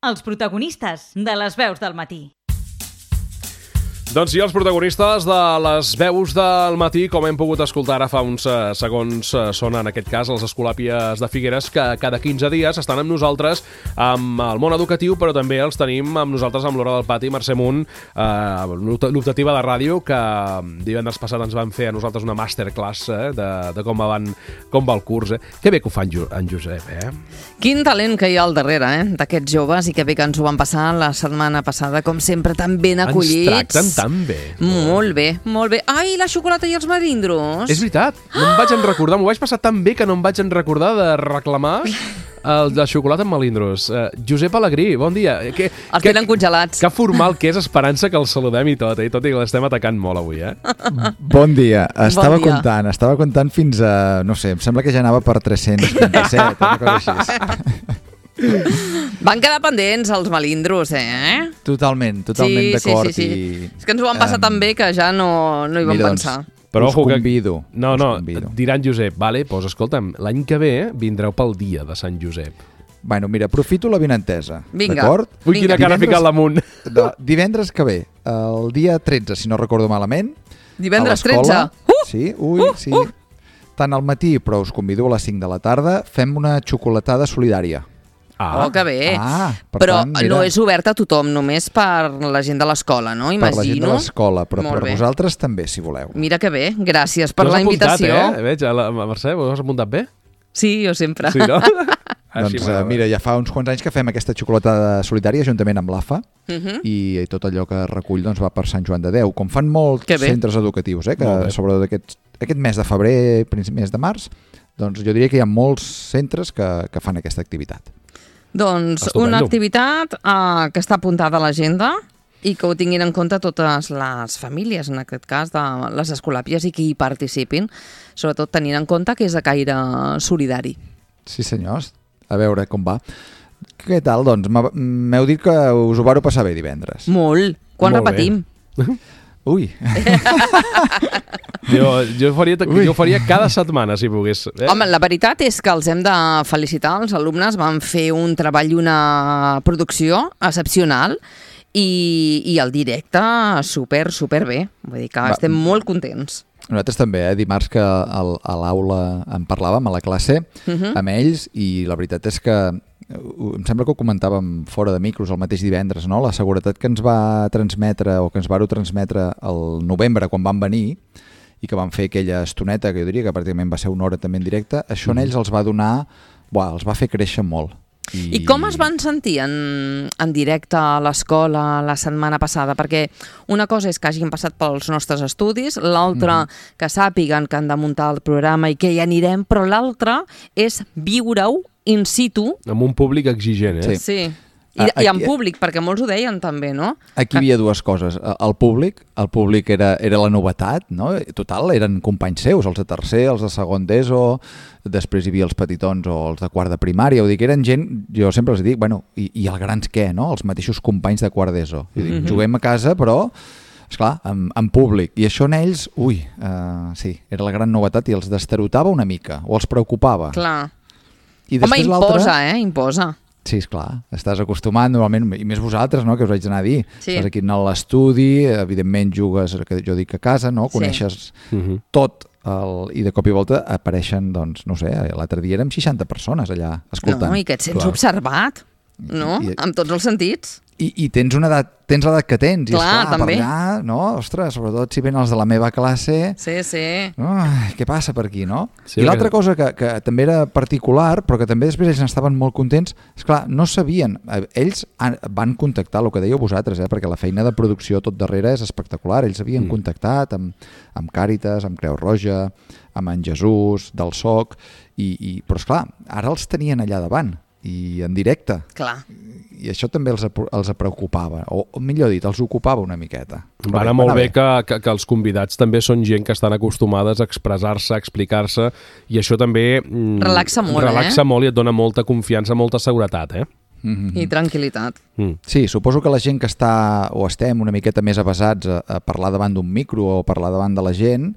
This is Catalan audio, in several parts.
els protagonistes de les veus del matí. Doncs sí, els protagonistes de les veus del matí, com hem pogut escoltar ara fa uns segons, són en aquest cas els Escolàpies de Figueres, que cada 15 dies estan amb nosaltres amb el món educatiu, però també els tenim amb nosaltres amb l'Hora del Pati. Mercè Munt, l'optativa de ràdio, que divendres passat ens van fer a nosaltres una masterclass de com va el curs. Que bé que ho fa en Josep, Quin talent que hi ha al darrere, d'aquests joves, i que bé que ens ho van passar la setmana passada, com sempre, tan ben acollits. Ens tracten tan bé. Molt bé, molt bé. Ai, la xocolata i els melindros. És veritat, no em vaig en recordar, m'ho vaig passar tan bé que no em vaig en recordar de reclamar la xocolata amb melindros. Josep Alegrí, bon dia. Els tenen congelats. Que formal que és, Esperança, que els saludem i tot i que l'estem atacant molt avui, Bon dia. Estava comptant fins a, no sé, em sembla que ja anava per 327, una cosa així. Van quedar pendents els melindros, Totalment d'acord. Sí. És que ens ho van passar tan bé que ja no hi vam pensar. Però us convido. No, diran Josep, vale, doncs escolta'm, l'any que ve vindreu pel dia de Sant Josep. Bueno, mira, aprofito la benentesa. Vinga. D'acord? Ui, quina cara ha ficat l'amunt. Divendres que ve, el dia 13, si no recordo malament. Divendres a l'escola, 13? Sí, sí. Tant al matí, però us convido a les 5 de la tarda, fem una xocolatada solidària. Oh, que bé. Però tant, no és obert a tothom, només per la gent de l'escola, no? Imagino. Per la gent de l'escola, però per vosaltres també, si voleu. Mira que bé, gràcies per la invitació. Tu has apuntat, Veig, Mercè, ho has apuntat bé? Sí, jo sempre. Sí, no? Doncs mira, ja fa uns quants anys que fem aquesta xocolatada solidària juntament amb l'AFA i tot allò que recull va per Sant Joan de Déu, com fan molts centres educatius, que sobretot aquest mes de febrer, mes de març, doncs jo diria que hi ha molts centres que fan aquesta activitat. Doncs una activitat que està apuntada a l'agenda i que ho tinguin en compte totes les famílies, en aquest cas de les escolàpies, i que hi participin, sobretot tenint en compte que és de caire solidari. Sí, senyors. A veure com va. Què tal? Doncs m'heu dit que us ho vareu passar bé divendres. Molt. Quan repetim? Ui. Jo ho faria cada setmana, si pogués. Home, la veritat és que els hem de felicitar. Els alumnes van fer un treball i una producció excepcional i el directe super bé. Vull dir que estem molt contents. Nosaltres també, dimarts que a l'aula en parlàvem, a la classe, amb ells, i la veritat és que em sembla que ho comentàvem fora de micros el mateix divendres, no? La seguretat que ens va transmetre o que ens vau transmetre el novembre quan van venir i que van fer aquella estoneta, que jo diria que pràcticament va ser una hora també en directe, això en ells els va donar, els va fer créixer molt. I com es van sentir en directe a l'escola la setmana passada? Perquè una cosa és que hagin passat pels nostres estudis, l'altra que sàpiguen que han de muntar el programa i que hi anirem, però l'altra és viure-ho in situ. Amb un públic exigent, Sí. I en públic, perquè molts ho deien també, no? Aquí hi havia dues coses. El públic era la novetat, no? Total, eren companys seus, els de tercer, els de segon d'ESO, després hi havia els petitons o els de quart de primària, vull dir que eren gent, jo sempre els dic, i els grans què, no? Els mateixos companys de quart d'ESO. Juguem a casa, però esclar, en públic. I això en ells, sí, era la gran novetat i els destarotava una mica, o els preocupava. Clar. Home, imposa. Sí, esclar, estàs acostumat normalment, i més vosaltres, no?, que us haig d'anar a dir. Sí. Estàs aquí a l'estudi, evidentment jugues, que jo dic a casa, no?, coneixes tot, i de cop i volta apareixen, doncs, no sé, l'altre dia érem 60 persones allà escoltant. No, i que et sents observat, no?, amb tots els sentits. I tens l'edat que tens, i clar, també. Per allà, no? Ostres, sobretot si venen els de la meva classe... Sí. Què passa per aquí, no? Sí, I l'altra cosa que també era particular, però que també després ells estaven molt contents, esclar, no sabien, ells van contactar, el que dèieu vosaltres, perquè la feina de producció tot darrere és espectacular, ells havien contactat amb Càritas, amb Creu Roja, amb en Jesús, del SOC, però esclar, ara els tenien allà davant, i en directe. Clar. I això també els preocupava, o millor dit, els ocupava una miqueta. Va anar molt bé que els convidats també són gent que estan acostumades a expressar-se, a explicar-se, i això també relaxa molt, molt i et dona molta confiança, molta seguretat, I tranquil·litat. Sí, suposo que la gent que està o estem una miqueta més avesats a parlar davant d'un micro o parlar davant de la gent,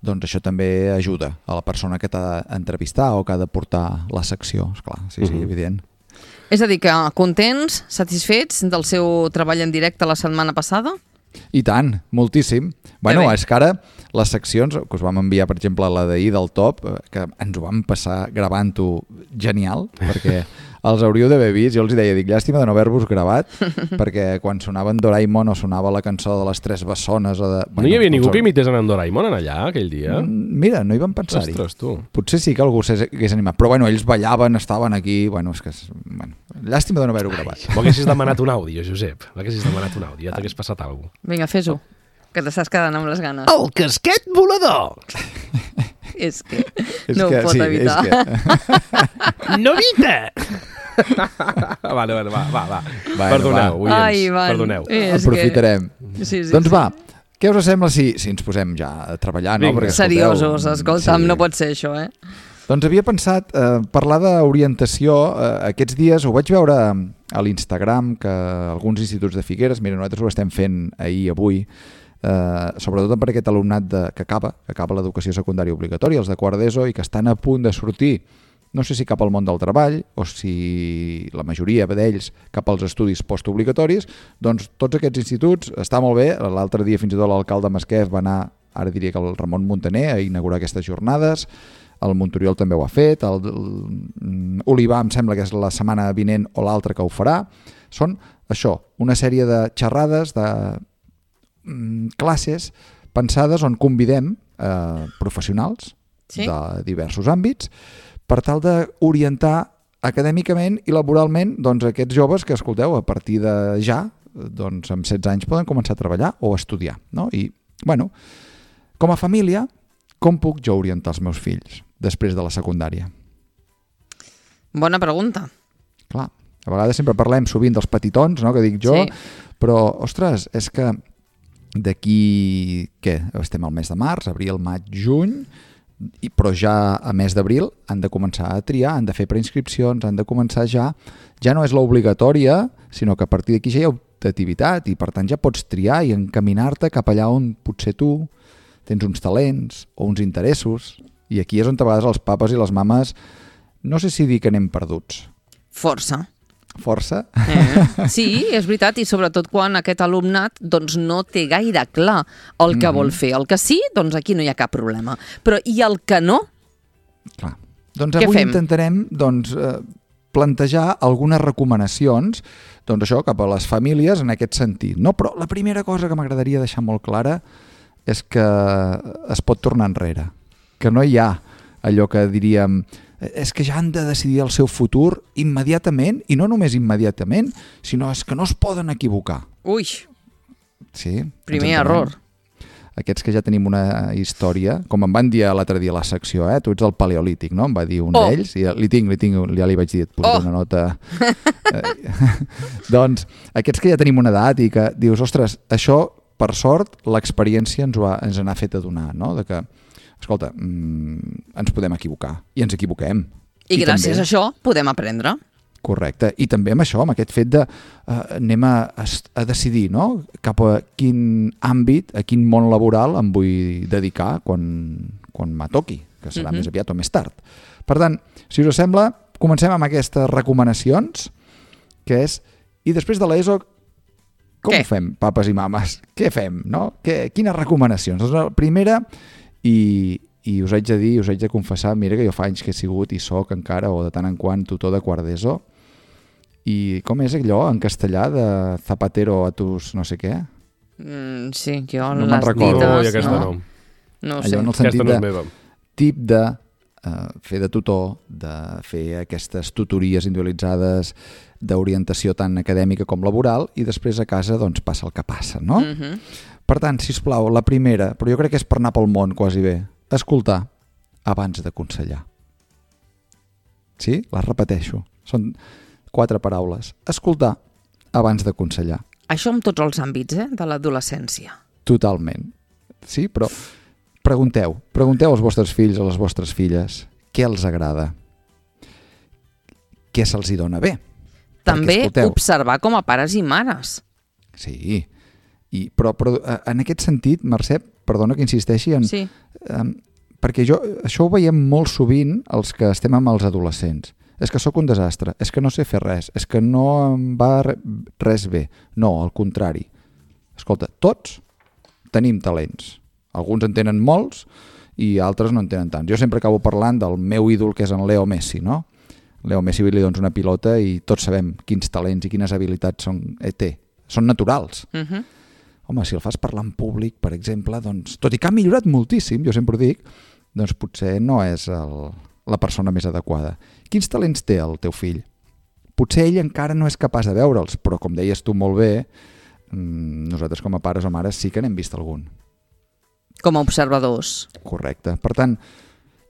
doncs això també ajuda a la persona que t'ha d'entrevistar o que ha de portar la secció, esclar, sí, evident. És a dir, que contents, satisfets del seu treball en directe la setmana passada? I tant, moltíssim. Bueno, és que ara les seccions que us vam enviar, per exemple, la d'ahir del Top, que ens ho vam passar gravant-ho genial, perquè els hauríeu d'haver vist. Jo els deia, llàstima de no haver-vos gravat, perquè quan sonava en Doraemon o sonava la cançó de les Tres Bessones... No hi havia ningú que imités en Doraemon en allà, aquell dia? Mira, no hi vam pensar-hi. Ostres, tu. Potser sí que algú s'hagués animat, però bueno, ells ballaven, estaven aquí... Bueno, és que... llàstima de no haver-ho gravat. M'haguessis demanat un àudio, Josep. M'haguessis demanat un àudio, ja t'hagués passat alguna cosa. Vinga, fes-ho, que t'estàs quedant amb les ganes. El casquet volador! És que no ho pot evitar. Novita! Vale, va. Perdoneu, oients, perdoneu. Aprofitarem. Sí, doncs va, què us sembla si ens posem ja a treballar? No? Perquè, seriosos, escolta'm, no pot ser això, Doncs havia pensat parlar d'orientació. Aquests dies ho vaig veure a l'Instagram, que alguns instituts de Figueres, mira, nosaltres ho estem fent avui, sobretot per aquest alumnat que acaba l'educació secundària obligatòria, els de quart d'ESO, i que estan a punt de sortir, no sé si cap al món del treball o si la majoria d'ells cap als estudis postobligatoris. Doncs tots aquests instituts, està molt bé. L'altre dia fins i tot l'alcalde Masquef va anar, ara diria que el Ramon Muntaner, a inaugurar aquestes jornades. El Montoriol també ho ha fet, Olivar em sembla que és la setmana vinent o l'altra que ho farà. Són això, una sèrie de xerrades, de classes pensades on convidem professionals de diversos àmbits per tal d'orientar acadèmicament i laboralment aquests joves que, escolteu, a partir de ja, amb 16 anys poden començar a treballar o a estudiar. No? I, bueno, com a família, com puc jo orientar els meus fills després de la secundària? Bona pregunta. Clar, a vegades sempre parlem sovint dels petitons, no?, que dic jo, però, ostres, és que d'aquí, què? Estem al mes de març, abril, maig, juny, però ja a mes d'abril han de començar a triar, han de fer preinscripcions, han de començar ja no és l'obligatòria, sinó que a partir d'aquí ja hi ha optativitat i per tant ja pots triar i encaminar-te cap allà on potser tu tens uns talents o uns interessos, i aquí és on a vegades els papes i les mames, no sé si dir que anem perduts. Força. Sí, és veritat, i sobretot quan aquest alumnat no té gaire clar el que vol fer. El que sí, doncs aquí no hi ha cap problema. Però i el que no? Clar. Doncs avui intentarem plantejar algunes recomanacions això cap a les famílies en aquest sentit. No? Però la primera cosa que m'agradaria deixar molt clara és que es pot tornar enrere. Que no hi ha allò que diríem és que ja han de decidir el seu futur immediatament, i no només immediatament, sinó és que no es poden equivocar. Ui! Sí. Primer error. Aquests que ja tenim una història, com em van dir l'altre dia a la secció, tu ets del Paleolític, no? Em va dir un d'ells, i li tinc, ja li vaig dir, et posaré una nota. Doncs aquests que ja tenim una edat i que dius, ostres, això, per sort, l'experiència ens n'ha fet adonar, no? De que escolta, ens podem equivocar i ens equivoquem. I gràcies a això podem aprendre. Correcte. I també amb això, amb aquest fet de anem a decidir, no?, cap a quin àmbit, a quin món laboral em vull dedicar quan m'atoqui, que serà més aviat o més tard. Per tant, si us sembla, comencem amb aquestes recomanacions, que és, i després de l'ESO, com ho fem, papes i mames? Què fem, no? Quines recomanacions? Doncs la primera... I us haig de dir, us haig de confessar, mira que jo fa anys que he sigut i soc encara, o de tant en quant, tutor de quart d'ESO, i com és allò en castellà de zapatero a tus no sé què? Sí, jo no me'n recordo. No ho sé. Allò en el sentit de tip de fer de tutor, de fer aquestes tutories individualitzades d'orientació tant acadèmica com laboral, i després a casa doncs passa el que passa, no? Per tant, sisplau, la primera, però jo crec que és per anar pel món quasi bé, escoltar abans d'aconsellar. Sí? Les repeteixo. Són 4 paraules. Escoltar abans d'aconsellar. Això en tots els àmbits, de l'adolescència. Totalment. Sí, però pregunteu als vostres fills o a les vostres filles què els agrada, què se'ls hi dona bé. També observar com a pares i mares. Sí, però en aquest sentit, Mercè, perdona que insisteixi, perquè això ho veiem molt sovint els que estem amb els adolescents. és que sóc un desastre, és que no sé fer res, és que no em va res bé. No, al contrari. Escolta, tots tenim talents. Alguns en tenen molts i altres no en tenen tants. Jo sempre acabo parlant del meu ídol, que és en Leo Messi, no? Leo Messi li dons una pilota i tots sabem quins talents i quines habilitats té. Són naturals. Home, si el fas parlar en públic, per exemple, doncs, tot i que ha millorat moltíssim, jo sempre ho dic, doncs potser no és la persona més adequada. Quins talents té el teu fill? Potser ell encara no és capaç de veure'ls, però com deies tu molt bé, nosaltres com a pares o mares sí que n'hem vist algun. Com a observadors. Correcte. Per tant,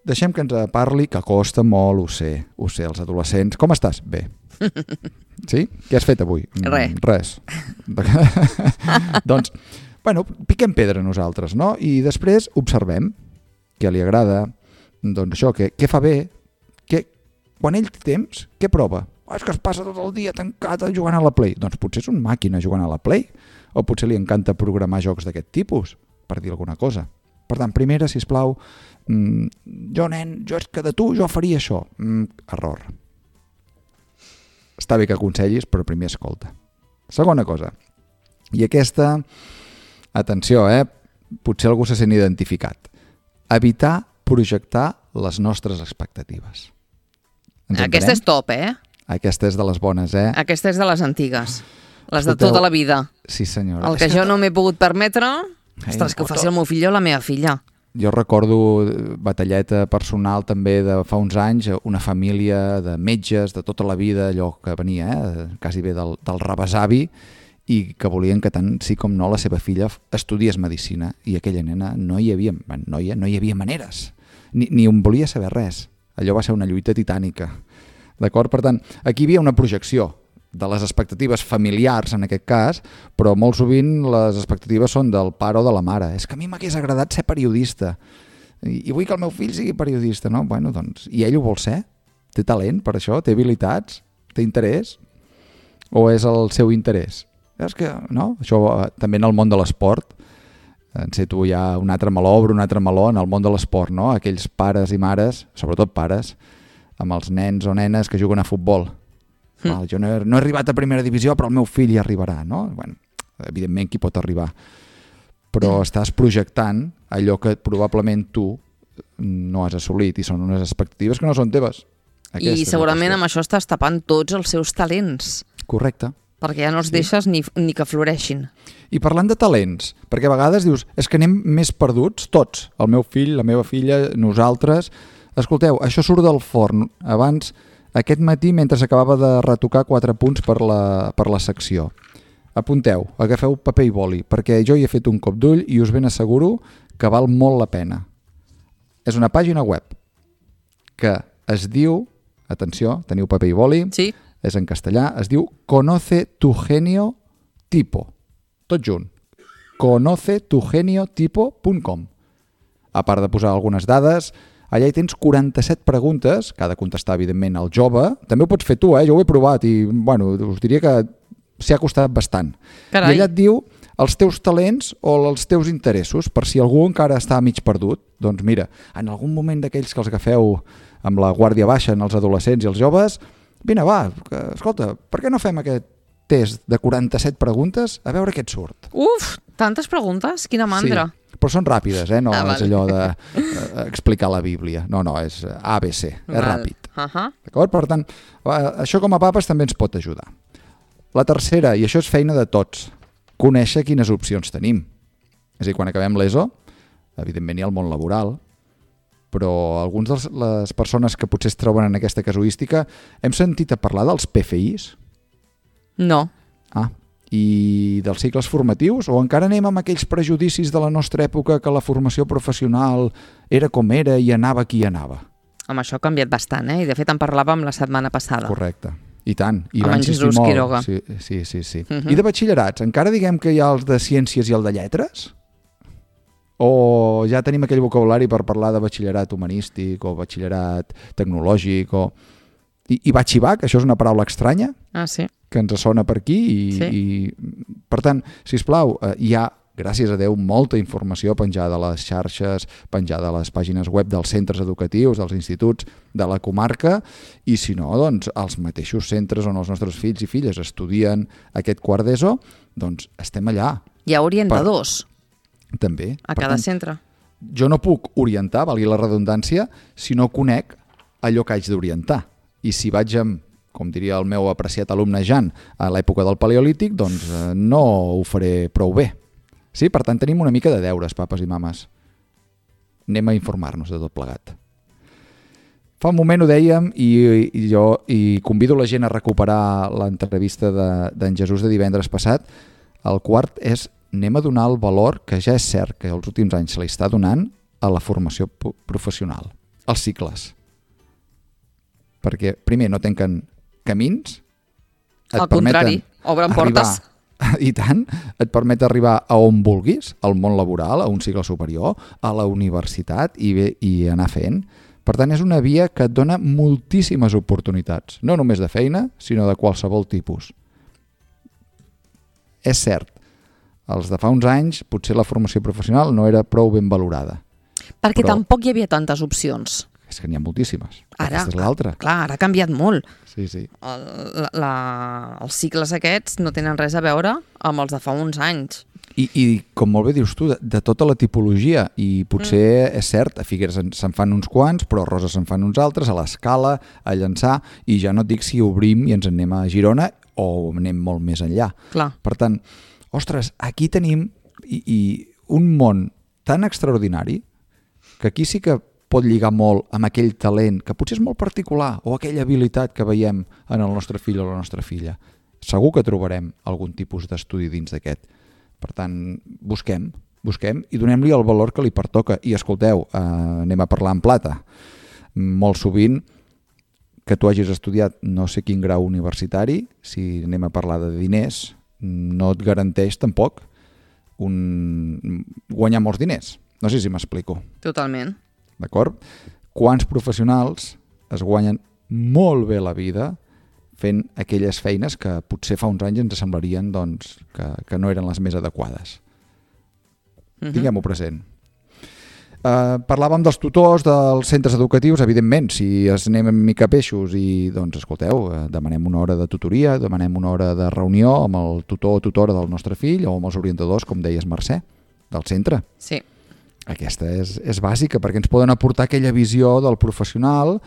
deixem que ens parli, que costa molt, ho sé, els adolescents. Com estàs? Bé. Sí? Què has fet avui? Res. Doncs, bueno, piquem pedra nosaltres, no? I després observem què li agrada, doncs això, què fa bé, quan ell té temps, què prova? És que es passa tot el dia tancat jugant a la Play. Doncs potser és un màquina jugant a la Play, o potser li encanta programar jocs d'aquest tipus, per dir alguna cosa. Per tant, primera, sisplau, jo és que de tu jo faria això. Error. Està bé que aconsellis, però primer escolta. Segona cosa, i aquesta, atenció, potser algú se sent identificat. Evitar projectar les nostres expectatives. Aquesta és top, Aquesta és de les bones, Aquesta és de les antigues. Les de tota la vida. Sí, senyora. El que jo no m'he pogut permetre, ostres, que ho faci el meu fill o la meva filla. Jo recordo batalleta personal també de fa uns anys, una família de metges de tota la vida, allò que venia, quasi bé del rebesavi, i que volien que tant sí com no la seva filla estudiés medicina, i aquella nena no hi havia maneres, ni on volia saber res. Allò va ser una lluita titànica. D'acord? Per tant, aquí hi havia una projecció de les expectatives familiars, en aquest cas, però molt sovint les expectatives són del pare o de la mare. És que a mi m'hagués agradat ser periodista i vull que el meu fill sigui periodista, no? Bueno, doncs, i ell ho vol ser? Té talent per això? Té habilitats? Té interès? O és el seu interès? És que, no? Això també en el món de l'esport, enceto ja un altre meló, obre un altre meló en el món de l'esport, no? Aquells pares i mares, sobretot pares, amb els nens o nenes que juguen a futbol. Jo no he arribat a primera divisió, però el meu fill hi arribarà, no? Bueno, evidentment qui pot arribar. Però estàs projectant allò que probablement tu no has assolit i són unes expectatives que no són teves. I segurament amb això estàs tapant tots els seus talents. Correcte. Perquè ja no els deixes ni que floreixin. I parlant de talents, perquè a vegades dius, és que anem més perduts, tots, el meu fill, la meva filla, nosaltres. Escolteu, això surt del forn. Abans, aquest matí, mentre s'acabava de retocar 4 punts per la secció. Apunteu, agafeu paper i boli, perquè jo hi he fet un cop d'ull i us ben asseguro que val molt la pena. És una pàgina web que es diu, atenció, teniu paper i boli, sí. És en castellà, es diu Conoce tu genio tipo. Tot junt. conocetugeniotipo.com. A part de posar algunes dades, allà hi tens 47 preguntes, que ha de contestar, evidentment, el jove. També ho pots fer tu, jo ho he provat i, bueno, us diria que s'hi ha costat bastant. Carai. I allà et diu els teus talents o els teus interessos, per si algú encara està mig perdut. Doncs mira, en algun moment d'aquells que els agafeu amb la guàrdia baixa en els adolescents i els joves, vine, va, escolta, per què no fem aquest test de 47 preguntes a veure què et surt? Uf, tantes preguntes, quina mandra. Sí, però són ràpides, no és allò d'explicar la Bíblia. No, és ABC, és ràpid. D'acord? Per tant, això com a papes també ens pot ajudar. La tercera, i això és feina de tots, conèixer quines opcions tenim. És a dir, quan acabem l'ESO, evidentment hi ha el món laboral, però alguns de les persones que potser es troben en aquesta casuística hem sentit a parlar dels PFIs? No. I dels cicles formatius? O encara anem amb aquells prejudicis de la nostra època que la formació professional era com era i anava qui anava? Amb això ha canviat bastant, i de fet en parlàvem la setmana passada. Correcte. I tant. I amb en Jesús Quiroga. Sí. I de batxillerats? Encara diguem que hi ha els de ciències i el de lletres? O ja tenim aquell vocabulari per parlar de batxillerat humanístic o batxillerat tecnològic i batxibac, això és una paraula estranya sí. que ens sona per aquí i per tant, sisplau, hi ha gràcies a Déu, molta informació penjada a les xarxes, penjada a les pàgines web dels centres educatius, dels instituts de la comarca, i si no, doncs, els mateixos centres on els nostres fills i filles estudien aquest quart d'ESO, doncs estem allà. Hi ha orientadors També. a cada centre. Jo no puc orientar, valgui la redundància, si no conec allò que haig d'orientar. I si vaig amb, com diria el meu apreciat alumne Jan, a l'època del Paleolític, doncs no ho faré prou bé. Sí, per tant, tenim una mica de deures, papes i mames. Anem a informar-nos de tot plegat. Fa un moment ho dèiem i jo convido la gent a recuperar l'entrevista d'en Jesús de divendres passat. El quart és: anem a donar el valor que ja és cert que els últims anys se li està donant a la formació professional, als cicles. Perquè, primer, no tanquen camins. Al contrari, obren portes. I tant, et permet arribar a on vulguis, al món laboral, a un cicle superior, a la universitat i anar fent. Per tant, és una via que et dona moltíssimes oportunitats, no només de feina, sinó de qualsevol tipus. És cert, els de fa uns anys potser la formació professional no era prou ben valorada. Perquè tampoc hi havia tantes opcions. És que n'hi ha moltíssimes. Ara, aquesta és l'altra. Clar, ara ha canviat molt. Sí, sí. Els cicles aquests no tenen res a veure amb els de fa uns anys. I com molt bé dius tu, de tota la tipologia, i potser és cert, a Figueres se'n fan uns quants, però a Roses se'n fan uns altres, a l'Escala, a Llançà, i ja no et dic si obrim i ens anem a Girona o anem molt més enllà. Clar. Per tant, ostres, aquí tenim un món tan extraordinari que aquí sí que pot lligar molt amb aquell talent que potser és molt particular o aquella habilitat que veiem en el nostre fill o la nostra filla. Segur que trobarem algun tipus d'estudi dins d'aquest. Per tant, busquem i donem-li el valor que li pertoca. I escolteu, anem a parlar en plata. Molt sovint que tu hagis estudiat no sé quin grau universitari, si anem a parlar de diners, no et garanteix tampoc guanyar molts diners. No sé si m'explico. Totalment. D'acord? Quants professionals es guanyen molt bé la vida fent aquelles feines que potser fa uns anys ens semblarien doncs, que no eren les més adequades. Tinguem-ho present. Parlàvem dels tutors dels centres educatius, evidentment, si es anem en mica peixos i, doncs, escolteu, demanem una hora de tutoria, demanem una hora de reunió amb el tutor o tutora del nostre fill o amb els orientadors, com deies, Mercè, del centre. Sí. Aquesta és bàsica perquè ens poden aportar aquella visió del professional,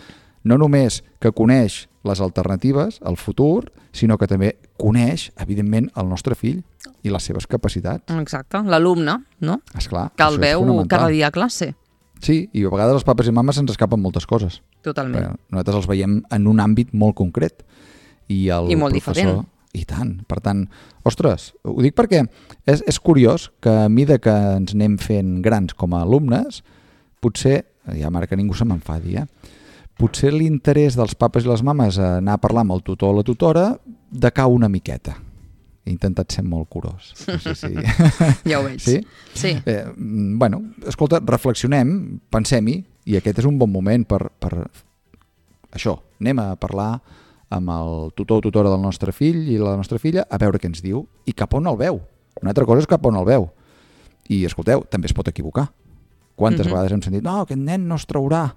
no només que coneix les alternatives, el futur, sinó que també coneix, evidentment, el nostre fill i les seves capacitats. Exacte, l'alumne, no? Esclar, que el veu cada dia a classe. Sí, i a vegades els papes i mames se'ns escapen moltes coses. Totalment. Però nosaltres els veiem en un àmbit molt concret. I molt diferent. I tant. Per tant, ostres, ho dic perquè és curiós que a mesura que ens anem fent grans com a alumnes, potser, ja mare que ningú se m'enfadi, potser l'interès dels papes i les mames a anar a parlar amb el tutor o la tutora decau una miqueta. He intentat ser molt curós. No sé si... Ja ho veig. Sí? Sí. Bueno, escolta, reflexionem, pensem-hi, i aquest és un bon moment per això. Anem a parlar amb el tutor o tutora del nostre fill i la nostra filla a veure què ens diu i cap on el veu. Una altra cosa és cap on el veu. I, escolteu, també es pot equivocar. Quantes vegades hem sentit, no, aquest nen no es traurà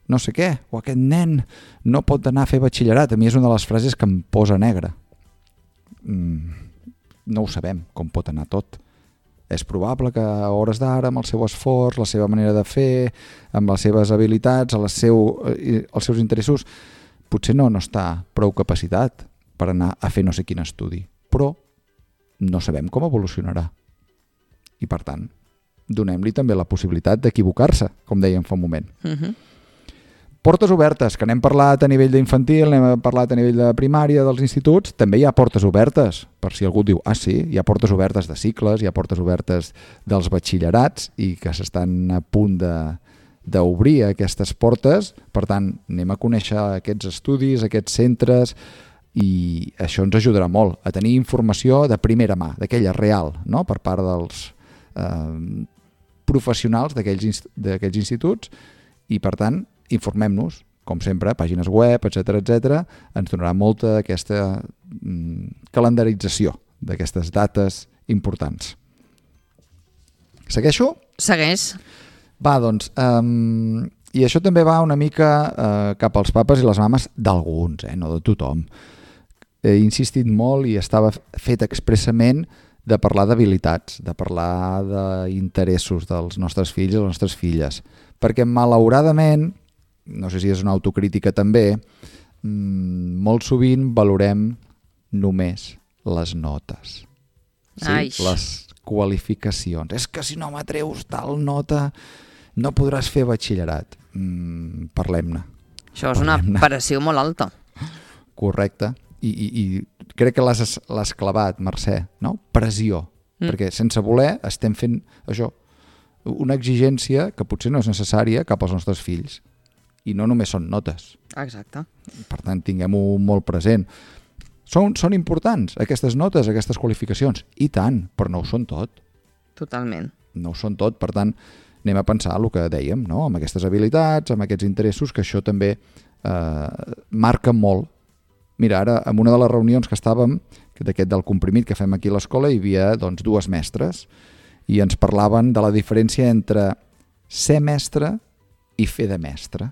no sé què, o aquest nen no pot anar a fer batxillerat. A mi és una de les frases que em posa negre. No ho sabem, com pot anar tot. És probable que a hores d'ara, amb el seu esforç, la seva manera de fer, amb les seves habilitats, els seus interessos, potser no està prou capacitat per anar a fer no sé quin estudi. Però no sabem com evolucionarà. I per tant, donem-li també la possibilitat d'equivocar-se, com dèiem fa un moment. Portes obertes, que n'hem parlat a nivell d'infantil, n'hem parlat a nivell de primària, dels instituts, també hi ha portes obertes, per si algú diu, sí, hi ha portes obertes de cicles, hi ha portes obertes dels batxillerats i que s'estan a punt d'obrir aquestes portes. Per tant, anem a conèixer aquests estudis, aquests centres, i això ens ajudarà molt a tenir informació de primera mà, d'aquella real, no? Per part dels professionals d'aquells instituts, i per tant, informem-nos, com sempre, pàgines web, etc. Ens donarà molta d'aquesta calendarització d'aquestes dates importants. Segueixo? Segueix. Va, doncs, i això també va una mica cap als papes i les mames d'alguns, no de tothom. He insistit molt i estava fet expressament de parlar d'habilitats, de parlar d'interessos dels nostres fills i les nostres filles. Perquè malauradament, no sé si és una autocrítica també, molt sovint valorem només les notes. Sí? Les qualificacions. És que si no m'atreus tal nota no podràs fer batxillerat. Parlem-ne. Això és una pressió molt alta. Correcte. I crec que l'has clavat, Mercè, no? Pressió. Perquè sense voler estem fent això, una exigència que potser no és necessària cap als nostres fills. I no només són notes. Exacte. Per tant, tinguem-ho molt present. Són importants aquestes notes, aquestes qualificacions. I tant, però no ho són tot. Totalment. No ho són tot, per tant, anem a pensar el que dèiem, no? Amb aquestes habilitats, amb aquests interessos, que això també marca molt. Mira, ara, en una de les reunions que estàvem, del comprimit que fem aquí a l'escola, hi havia doncs, 2 mestres i ens parlaven de la diferència entre ser mestre i fer de mestre.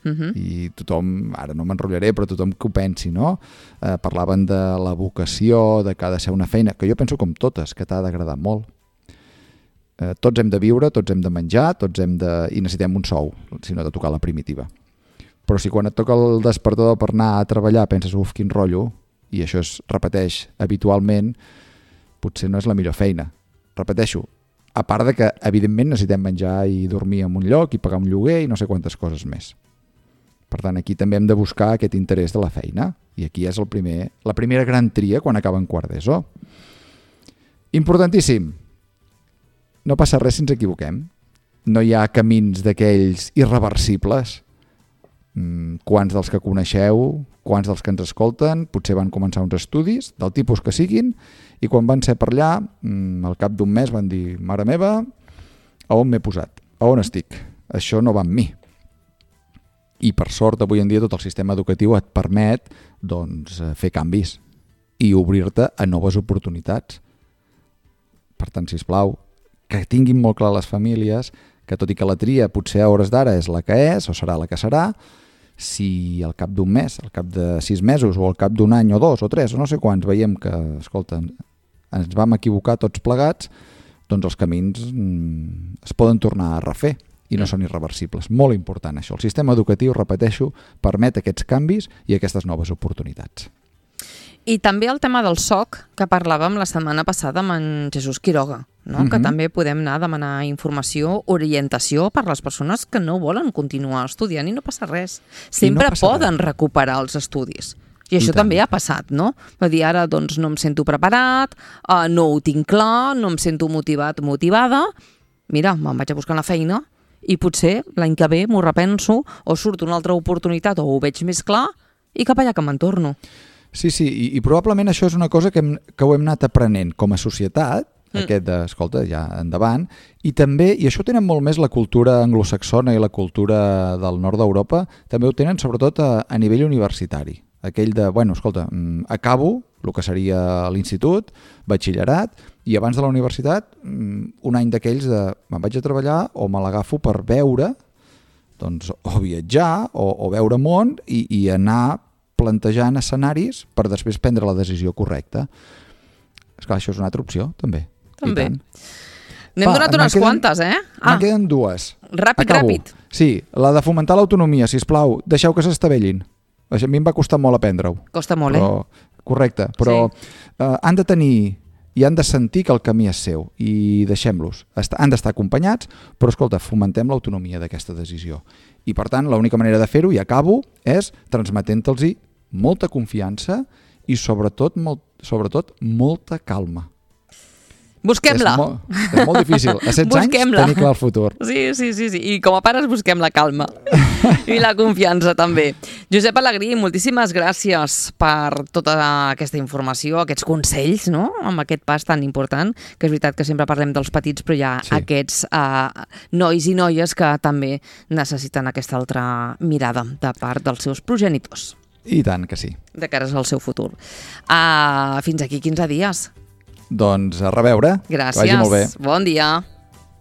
I tothom, ara no m'enrotllaré, però tothom que ho pensi, no? Parlaven de la vocació, de que ha de ser una feina, que jo penso com totes, que t'ha d'agradar molt. Tots hem de viure, tots hem de menjar, i necessitem un sou, si no de tocar la primitiva. Però si quan et toca el despertador per anar a treballar penses, quin rotllo, i això es repeteix habitualment, potser no és la millor feina. Repeteixo, a part de que evidentment necessitem menjar i dormir en un lloc i pagar un lloguer i no sé quantes coses més. Per tant, aquí també hem de buscar aquest interès de la feina. I aquí és la primera gran tria quan acaben quart d'ESO. Importantíssim. No passa res si ens equivoquem. No hi ha camins d'aquells irreversibles. Quants dels que coneixeu, quants dels que ens escolten, potser van començar uns estudis, del tipus que siguin, i quan van ser per allà, al cap d'un mes van dir, mare meva, a on m'he posat? A on estic? Això no va amb mi. I per sort, avui en dia, tot el sistema educatiu et permet fer canvis i obrir-te a noves oportunitats. Per tant, sisplau, que tinguin molt clar les famílies que tot i que la tria potser a hores d'ara és la que és o serà la que serà, si al cap d'un mes, al cap de 6 mesos o al cap d'un any o 2 o 3 o no sé quants veiem que, escolta, ens vam equivocar tots plegats, doncs els camins es poden tornar a refer i no són irreversibles. Molt important això. El sistema educatiu, repeteixo, permet aquests canvis i aquestes noves oportunitats. I també el tema del SOC, que parlàvem la setmana passada amb en Jesús Quiroga, no? Que també podem anar a demanar informació, orientació per les persones que no volen continuar estudiant i no passa res. Sempre poden recuperar els estudis. I això també ha passat, no? Va dir, ara doncs no em sento preparat, no ho tinc clar, no em sento motivat, motivada, mira, me'n vaig a buscar la feina i potser l'any que ve m'ho repenso o surt una altra oportunitat o ho veig més clar i cap allà que me'n torno. Sí, i probablement això és una cosa que ho hem anat aprenent com a societat, aquest de, escolta, ja endavant, i també, i això ho tenen molt més la cultura anglosaxona i la cultura del nord d'Europa, també ho tenen sobretot a nivell universitari. Aquell de, bueno, escolta, acabo el que seria l'institut, batxillerat, i abans de la universitat, un any d'aquells de me'n vaig a treballar o me l'agafo per veure, doncs, o viatjar, o veure món, i anar plantejant escenaris per després prendre la decisió correcta. Esclar, això és una altra opció, també. També. N'hem donat unes quantes, eh? Me'n queden 2. Ràpid. Sí, la de fomentar l'autonomia, sisplau, deixeu que s'estavellin. A mi em va costar molt aprendre-ho. Costa molt, Correcte, però han de tenir i han de sentir que el camí és seu i deixem-los. Han d'estar acompanyats, però escolta, fomentem l'autonomia d'aquesta decisió. I per tant, l'única manera de fer-ho, i acabo, és transmetent-los molta confiança i sobretot molta calma. Busquem-la. És molt difícil. A 16 anys tenir clar el futur. Sí. I com a pares busquem la calma. I la confiança també. Josep Alegrí, moltíssimes gràcies per tota aquesta informació, aquests consells, no? Amb aquest pas tan important, que és veritat que sempre parlem dels petits, però hi ha aquests nois i noies que també necessiten aquesta altra mirada de part dels seus progenitors. I tant que sí. De cares al seu futur. Fins aquí 15 dies. Doncs a reveure. Gràcies. Que vagi molt bé. Bon dia.